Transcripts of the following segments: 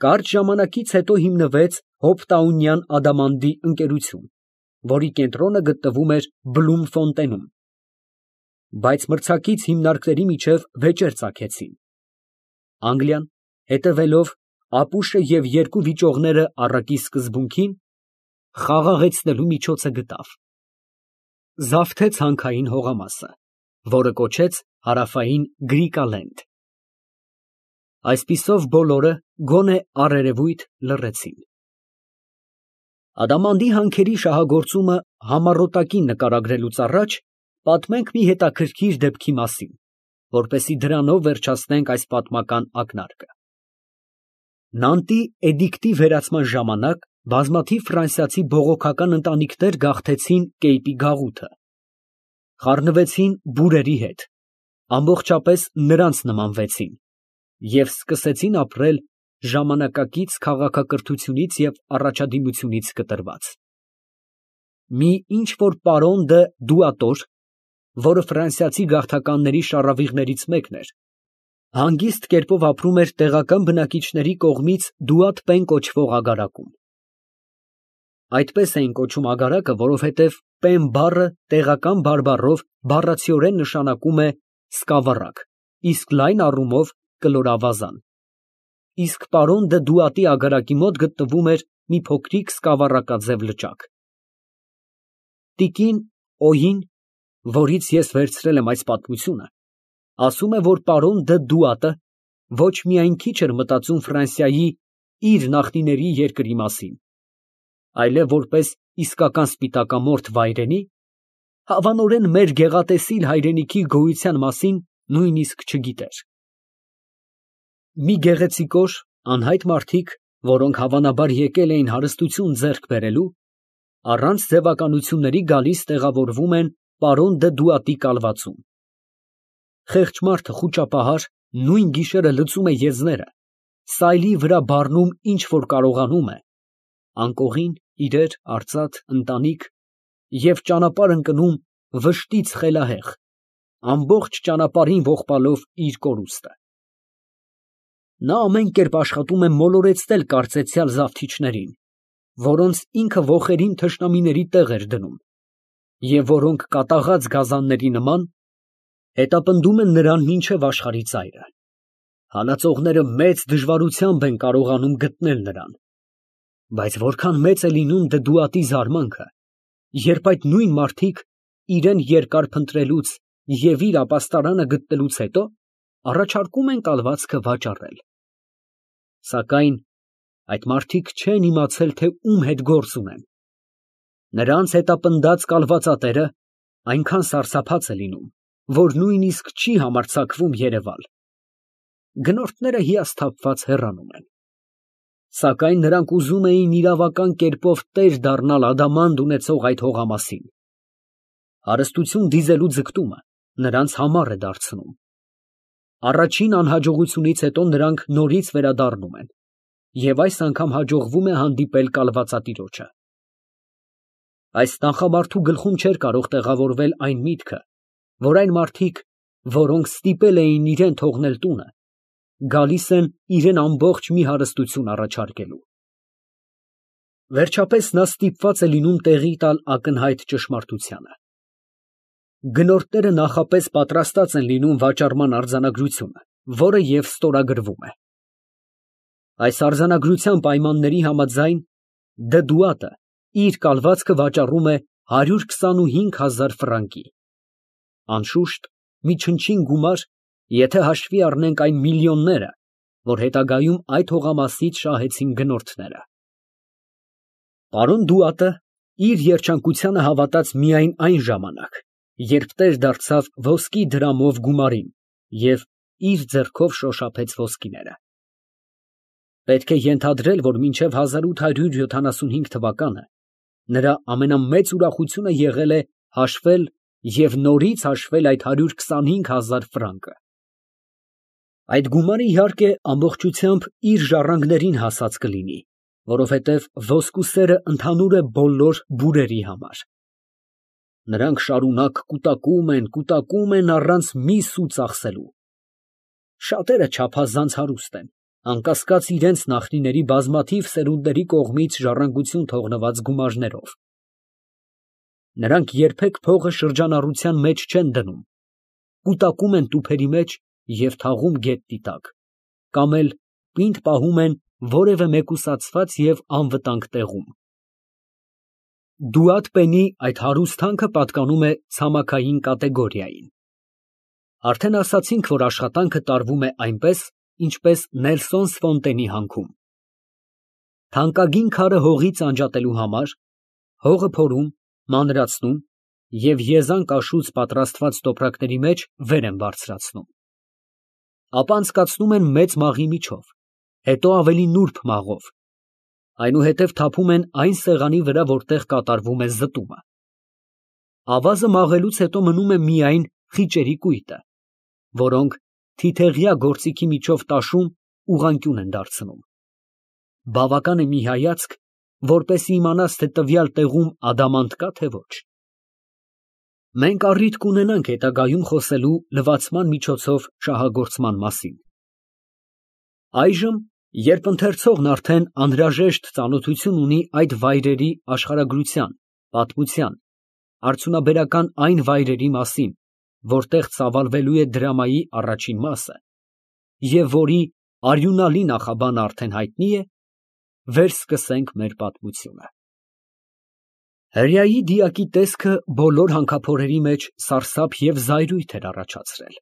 Կարճ ժամանակից հետո հիմնվեց Հոփտաունյան Ադամանդի ընկերություն, որի կենտրոնը գտնվում էր Բլումֆոնտենում, բայց մրցակից հիմնարկների միջև վեճեր ծագեցին. Անգլիան, հետևելով ապուշը և երկու վիճողները առակի սկզբունքին, խաղաղեցնելու միջոցը գտավ. զավթեց հանքային հողամասը, որը կոչեց Հարավային Գրիկալենդ։ Այսպիսով բոլորը, գոնե առերևույթ, լռեցին։ Ադամանդի հանքերի շահագործումը համառոտակին նկարագրելուց առաջ պատմենք մի հետաքրքիր դեպքի մասին, որպեսզի դրանով վերջացնենք այս պատմական ակնարկը։ Նանտի էդիկտի վերացման ժամանակ բազմաթիվ ֆրանսիացի բողոքական ընտանիքներ գաղթեցին Կեյպի գաղութը, խառնվեցին բուրերի հետ, ամբողջապես նրանց նմանվեցին և սկսեցին ապրել ժամանակակից քաղաքակրթությունից և առաջադիմությունից կտրված։ Մի ինչ֊որ պարոն դը Դուատոր, որը ֆրանսիացի գաղթականների շառավիղներից մեկն էր, հանգիստ կերպով ապրում էր տեղական բնակիչների կողմից Դուատ Պեն կոչվող ագարակում։ Այդպես էին կոչում ագարակը, որովհետև Պեն բառը տեղական բարբառով բառացիորեն նշանակում է սկավառակ, իսկ լայն առումով կլորավազան, իսկ պարոն դը Դուատի ագարակի մոտ գտնվում էր մի փոքրիկ սկավառակաձև լճակ։ Տիկին Օյին, որից ես վերցրել եմ այս պատմությունը, ասում է, որ պարոն դը Դուատը ոչ միայն քիչ էր մտածում Ֆրանսիայի իր նախնիների երկրի մասին, այլև որպես իսկական սպիտակամորթ վայրենի, հավանորեն մեր գեղատեսիլ հայրենիքի գոյության մասին նույնիսկ չգիտեր։ Մի գեղեցիկոր, անհայտ մարդիկ, որոնք հավանաբար եկել էին հարստություն ձեռք բերելու, առանց ձևականությունների գալիս տեղավորվում են պարոն դը Դուատի կալվածում։ Խեղճ մարդը խուճապահար նույն գիշերը լցում է եզները, սայլի վրա բառնում ինչ որ կարողանում է, անկողին, իրեր, արծաթ, ընտանիք և ճանապարհ ընկնում վշտից խելահեղ, ամբողջ ճանապարհին ողբալով իր կորուստը։ Նա ամեն կերպ աշխատում է մոլորեցնել կարծեցյալ զավթիչներին, որոնց ինքը ոխերիմ թշնամիների տեղ էր դնում, և որոնք կատաղած գազանների նման հետապնդում են նրան մինչև աշխարհի ծայրը։ Հալածողները մեծ դժվարությամբ են կարողանում գտնել նրան, բայց որքան մեծ է լինում Դուատի զարմանքը, երբ այդ նույն մարդիկ իրեն երկար փնտրելուց և իր ապաստարանը գտնելուց հետո առաջարկում են կալվածքը վաճառել։ Սակայն այդ մարդիկ չեն իմացել, թե ում հետ գործ ունեն։ Նրանց հետապնդած կալվածատերը այնքան սարսափած է լինում, որ նույնիսկ չի համարձակվում երևալ։ Գնորդները հիասթափված հեռանում են։ Սակայն նրանք ուզում էին իրավական կերպով տեր դառնալ ադամանդ ունեցող այդ հողամասին։ Հարստություն դիզելու ձգտումը նրանց համառ է դարձնում։ Առաջին անհաջողությունից հետո նրանք նորից վերադառնում են, և այս անգամ հաջողվում է հանդիպել կալվածատիրոջը։ Այս նախամարդու գլխում չէր կարող տեղավորվել այն միտքը, որ այն մարդիկ, որոնք ստիպել էին իրան թողնել տունը, գալիս են իրան ամբողջ մի հարստություն առաջարկելու։ Վերջապես նա ստիպված է լինում տեղի տալ ակնհայտ ճշմարտությանը։ Գնորդները նախապես պատրաստած են լինում վաճառման արձանագրությունը, որը և ստորագրվում է։ Այս արձանագրության պայմանների համաձայն դը Դուատը իր կալվածքը վաճառում է 125,000 ֆրանկի։ Անշուշտ, մի չնչին գումար, եթե հաշվի առնենք այն միլիոնները, որ հետագայում այդ հողամասից շահեցին գնորդները։ Պարոն Դուատը իր երջանկությանը հավատաց միայն այն ժամանակ, երբ տեր դարձավ ոսկի դրամով գումարին և իր ձեռքով շոշափեց ոսկիները։ Պետք է ենթադրել, որ մինչև 1875 թվականը նրա ամենամեծ ուրախությունը եղել է հաշվել և նորից հաշվել այդ 125,000 ֆրանկը։ Այդ գումարը, իհարկե, ամբողջությամբ իր ժառանգներին հասած կլինի, որովհետև ոսկու սերը ընդհանուր է բոլոր բուրերի համար։ Նրանք շարունակ կուտակում են առանց մի սու ծախսելու։ Շատերը չափազանց հարուստ են, անկասկած իրենց նախնիների բազմաթիվ սերունդների կողմից ժառանգություն թողնված գումարներով։ Նրանք երբեք փողը շրջանառության մեջ չեն դնում, կուտակում են տուփերի մեջ և թաղում գետնի տակ, կամ էլ պինդ պահում են որևէ մեկուսացված և անվտանգ տեղում։ Դուատ պենի այդ հարուստ հանքը պատկանում է ցամաքային կատեգորիային։ Արդեն ասացինք, որ աշխատանքը տարվում է այնպես, ինչպես Նելսոն Սֆոնտենի հանքում։ Թանկագին քարը հողից անջատելու համար հողը փորում, մանրացնում և եզան կաշուց պատրաստված տոպրակների մեջ վեր են բարձրացնում։ Ապա անցկացնում են մեծ մաղի միջով, հետո ավելի նուրբ մաղով, այնուհետև թափում են այն սեղանի վրա, որտեղ կատարվում է զտումը։ Ավազը մաղելուց հետո մնում է միայն խիճերի կույտը, որոնք թիթեղյա գործիքի միջով տաշում ուղղանկյուն են դարձնում։ Բավական է մի հայացք, որպեսզի իմանաս, թե տվյալ տեղում ադամանդ կա, թե ոչ։ Մենք առիթ կունենանք հետագայում խոսելու լվացման միջոցով շահագործման մասին։ Այժմ, երբ ընթերցողն արդեն անհրաժեշտ ծանոթություն ունի այդ վայրերի աշխարհագրության, պատմության, արդյունաբերական այն վայրերի մասին, որտեղ ծավալվելու է դրամայի առաջին մասը, և որի արյունալի նախաբանը արդեն հայտնի է, վեր սկսենք մեր պատմությունը։ Հրեայի դիակի տեսքը բոլոր հանքափորերի մեջ սարսափ և զայրույթ էր առաջացրել։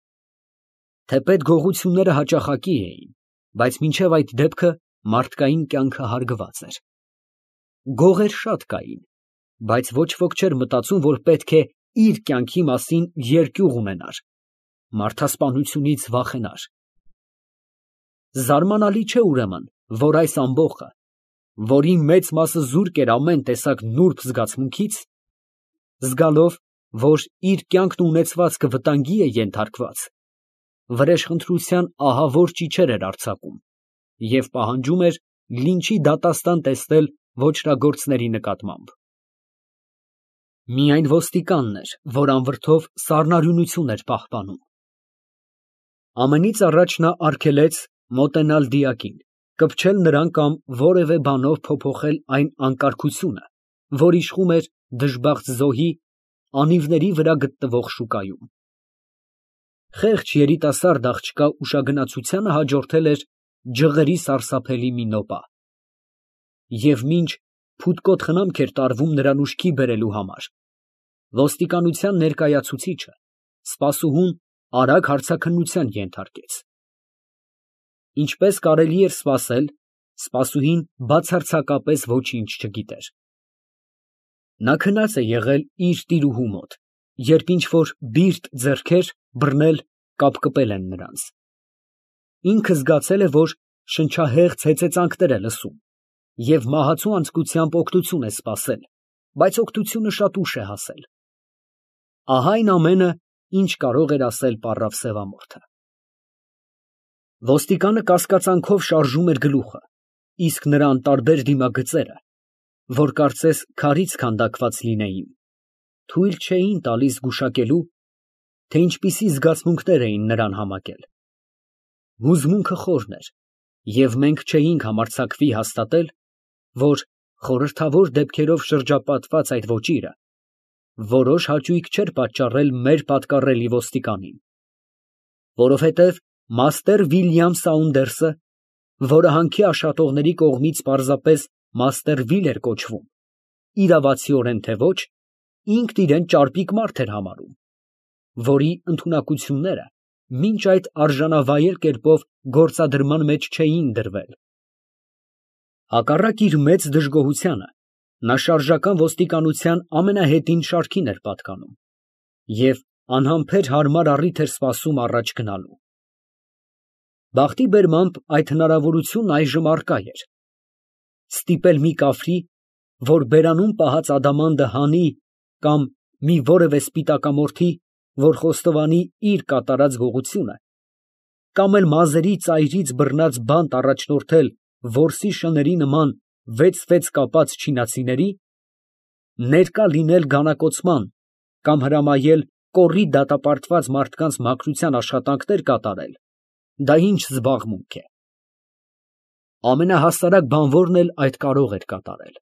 Թեպետ գողությունները հաճախակի էին, բայց մինչև այդ դեպքը մարդկային կյանքը հարգված էր։ Գողեր շատ կային, բայց ոչ ոք չէր մտածում, որ պետք է իր կյանքի մասին երկյուղ ունենար, մարդասպանությունից վախենար։ Զարմանալի չէ ուրեմն, որ այս ամբոխը, որի մեծ մասը զուրկ էր ամեն տեսակ նուրբ զգացմունքից, զգալով, որ իր կյանքն ու ունեցվածքը վտանգի է ենթարկված, վրեժխնդրության ահավոր ճիչեր էր արձակում և պահանջում էր լինչի դատաստան տեսնել ոճրագործների նկատմամբ։ Միայն ոստիկանն էր, որ անվրդով սառնարյունություն էր պահպանում։ Ամենից առաջ նա արգելեց մոտենալ դիակին, կպչել նրան կամ որևէ բանով փոփոխել այն անկարգությունը, որ իշխում էր դժբախտ զոհի անիվների վրա գտնվող շուկայում։ Խեղճ երիտասարդ աղջկա ուշագնացությանը հաջորդել էր ջղերի սարսափելի մի նոպա, և մինչ փութկոտ խնամք էր տարվում նրան ուշքի բերելու համար, ոստիկանության ներկայացուցիչը սպասուհուն արագ հարցաքննության ենթարկեց։ Ինչպես կարելի էր սպասել, սպասուհին բացարձակապես ոչինչ չգիտեր։ Նա քնած է եղել իր տիրուհու մոտ, երբ ինչ֊որ բիրտ ձեռքեր բռնել կապկպել են նրանց։ Ինքը զգացել է, որ շնչահեղձ հեծեծանքներ է լսում և մահացու անձկությամբ օգնություն է սպասել, բայց օգնությունը շատ ուշ է հասել։ Ահա այն ամենը, ինչ կարող էր ասել պառավ սևամորթը։ Ոստիկանը կասկածանքով շարժում էր գլուխը, իսկ նրա անտարբեր դիմագծերը, որ կարծես քարից քանդակված լինեին, թույլ չէին տալիս գուշակելու, թե ինչպիսի զգացմունքներ էին նրան համակել։ Հուզմունքը խորն էր, և մենք չէինք համարձակվի հաստատել, որ խորհրդավոր դեպքերով շրջապատված այդ ոճիրը որոշ հաճույք չէր պատճառել մեր պատկառելի ոստիկանին, որովհետև մաստեր Վիլյամ Սաունդերսը, որը հանքի աշատողների կողմից պարզապես մաստեր Վիլ էր կոչվում, իրավացիորեն թե ոչ, ինքն իրան ճարպիկ մարդ էր համարում, որի ընդունակությունները մինչ այդ արժանավայել կերպով գործադրման մեջ չէին դրվել։ Հակառակ իր մեծ դժգոհությանը, նա շարժական ոստիկանության ամենահետին շարքին էր պատկանում և անհամբեր հարմար առիթ էր սպասում առաջ գնալու։ Բախտի բերմամբ այդ հնարավորությունն այժմ առկա էր. ստիպել մի կաֆրի, որ բերանում պահած ադամանդը հանի, կամ մի որևէ սպիտակամորթի, որ խոստովանի իր կատարած գողությունը, կամ էլ մազերի ծայրից բռնած բանտ առաջնորդել որսի շների նման վեց կապած չինացիների, ներկա լինել գանակոծման կամ հրամայել կոռի դատապարտված մարդկանց մաքրության աշխատանքներ կատարել, դա ինչ զբաղմունք է։ ամենահասարակ բանվորն էլ այդ կարող էր կատարել։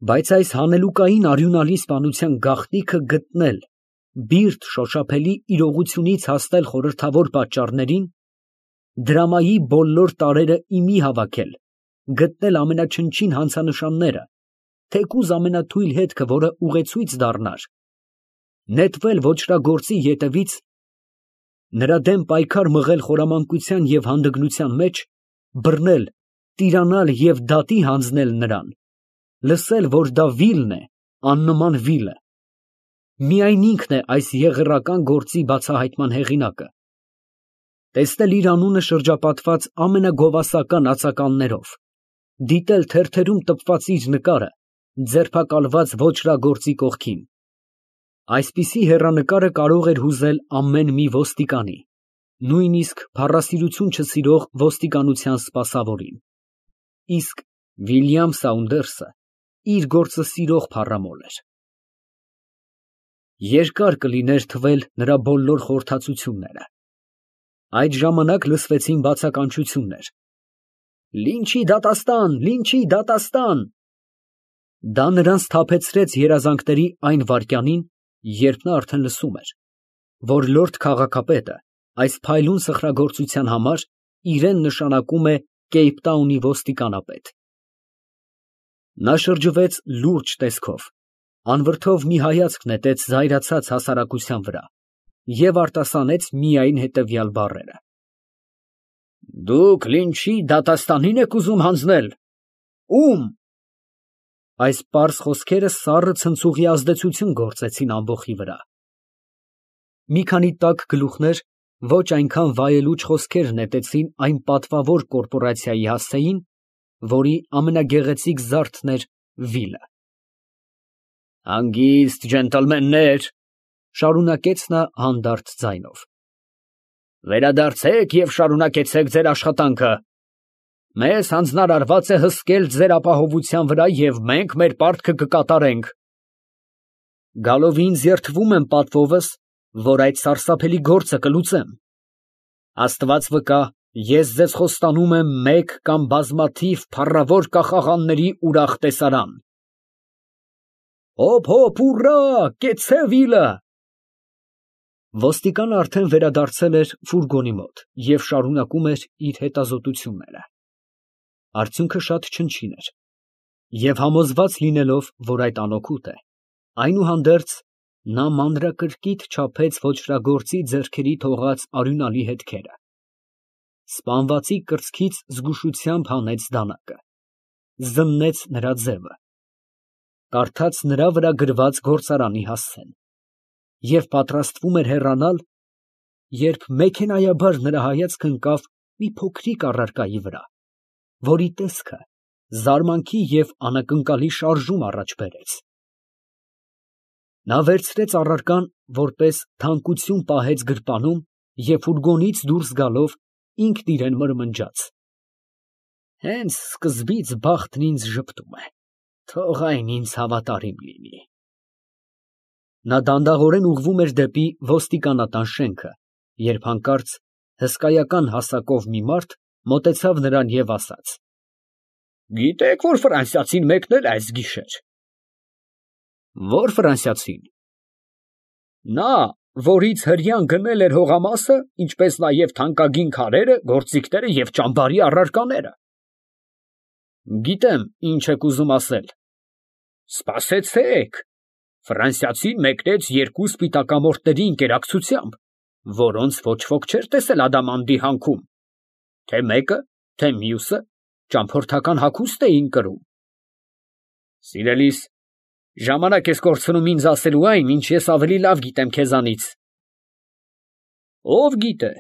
Բայց այս հանելուկային արյունալի սպանության գաղտնիքը գտնել, բիրտ շոշափելի իրողությունից հասնել խորհրդավոր պատճառներին, դրամայի բոլոր տարրերը իմի հավաքել, գտնել ամենաչնչին հանցանշանները, թեկուզ ամենաթույլ հետքը, որը ուղեցույց դառնար, նետվել ոճրագործի ետևից, նրա դեմ պայքար մղել խորամանկության և հանդգնության մեջ, բռնել, տիրանալ և դատի հանձնել նրան, լսել, որ դա վիլն է, աննման վիլը, միայն ինքն է այս եղեռական գործի բացահայտման հեղինակը, տեսնել իր անունը շրջապատված ամենագովասական ածականներով, դիտել թերթերում տպված իր նկարը, ձերբակալված ոճրագործի կողքին, այսպիսի հեռանկարը կարող էր հուզել ամեն մի ոստիկանի, նույնիսկ փառասիրություն չսիրող ոստիկանության սպասավորին, իսկ Վիլյամ Սաունդերսը իր գործը սիրող փառամոլ էր։ Երկար կլիներ թվել նրա բոլոր խորհրդածությունները։ Այդ ժամանակ լսվեցին բացականչություններ. «Լինչի դատաստան, լինչի դատաստան»։ Դա նրան սթափեցրեց երազանքների այն վայրկյանին, երբ նա արդեն լսում էր, որ լորդ քաղաքապետը այս փայլուն սխրագործության համար իրեն նշանակում է Կեյփտաունի ոստիկանապետ։ Նա շրջվեց լուրջ տեսքով, անվրդով մի հայացք նետեց զայրացած հասարակության վրա և արտասանեց միայն հետևյալ բառերը. «Դուք լինչի դատաստանին եք ուզում հանձնել, ո՞ւմ»։ Այս պարզ խոսքերը սառը ցնցուղի ազդեցություն գործեցին ամբոխի վրա։ Մի քանի տաք գլուխներ ոչ այնքան վայելուչ խոսքեր նետեցին այն պատվավոր կորպորացիայի հասցեին, որի ամենագեղեցիկ զարդն էր վիլը։ «Հանգիստ, ջենտլմեններ, ֊ շարունակեց նա հանդարտ ձայնով, ֊ վերադարձեք և շարունակեցեք ձեր աշխատանքը։ Մեզ հանձնարարված է հսկել ձեր ապահովության վրա և մենք մեր պարտքը կկատարենք։ Գալով ինձ երդվում եմ պատվովս, որ այդ սարսափելի գործը կլուծեմ։ Աստված վկա, ես ձեզ խոստանում եմ մեկ կամ բազմաթիվ փառավոր կախաղանների ուրախ տեսարան։ Հոփ, հոփ, ուռա, կեցցե վիլը։ Ոստիկանը արդեն վերադարձել էր ֆուրգոնի մոտ և շարունակում էր իր հետազոտությունները։ Արդյունքը շատ չնչին էր, և համոզված լինելով, որ այդ անօգուտ է, այնուհանդերձ նա մանրակրկիտ չափեց ոճրագործի ձեռքերի թողած արյունալի հետքերը, սպանվածի կրծքից զգուշությամբ հանեց դանակը, զննեց նրա ձևը, կարդաց նրա վրա գրված գործարանի հասցեն և պատրաստվում էր հեռանալ, երբ մեքենայաբար նրա հայացքը ընկավ մի փոքրիկ առարկայի վրա, որի տեսքը զարմանքի և անակնկալի շարժում առաջ բերեց։ Նա վերցրեց առարկան, որպես թանկություն պահեց գրպանում և ֆուրգոնից դուրս գալով ինքն իրան մրմնջաց. «Հենց սկզբից բախտն ինձ ժպտում է, թող այն ինձ հավատարիմ լինի»։ Նա դանդաղորեն ուղղվում էր դեպի ոստիկանատան շենքը, երբ հանկարծ հսկայական հասակով մի մարդ մոտեցավ նրան և ասաց. «Գիտեք, որ ֆրանսիացին մեկնել է այս գիշեր»։ Ո՞ր ֆրանսիացին։ Նա, որից հրեան գնել էր հողամասը, ինչպես նաև թանկագին քարերը, գործիքները և ճամբարի առարկաները։ Գիտեմ, ինչ եք ուզում ասել։ Սպասեցեք, ֆրանսիացին մեկնեց երկու սպիտակամորթների ընկերակցությամբ, որոնց ոչ ոք չէր տեսել Ադամանդի հանքում, թե մեկը, թե մյուսը ճամփորդական հագուստ էին կրում։ Սիրելիս, ժամանակ ես կորցնում ինձ ասելու այն, ինչ ես ավելի լավ գիտեմ քեզանից։ Ով գիտե,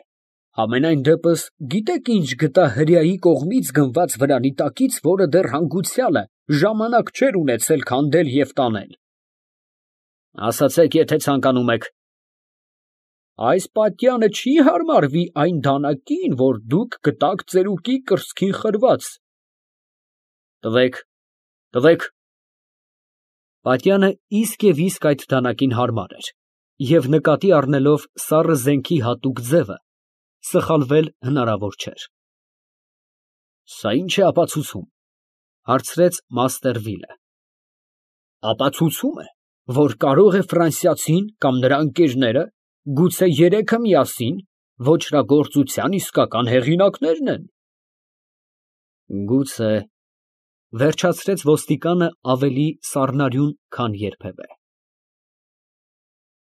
համենայն դեպս գիտեք ինչ գտա հրեայի կողմից գնված վրանի տակից, որը դեռ հանգուցյալը ժամանակ չէր ունեցել քանդել և տանել։ Ասացեք, եթե ցանկանում եք։ Այս պատյանը չի հարմարվի այն դանակին, որ դուք գտաք ծերուկի կրծքին խրված։ Տվեք, տվեք։ Պատյանը իսկ և իսկ այդ դանակին հարմար էր, և նկատի առնելով սառը զենքի հատուկ ձևը, սխալվել հնարավոր չէր։ Սա ի՞նչ է ապացուցում, հարցրեց մաստեր Վիլը։ Ապացուցում է, որ կարող է ֆրանսիացին կամ նրա ընկերները, գուցե երեքը միասին, ոճրագործության իսկական հեղինակներն են։ Գուցե, վերջացրեց ոստիկանը ավելի սառնարյուն, քան երբևէ։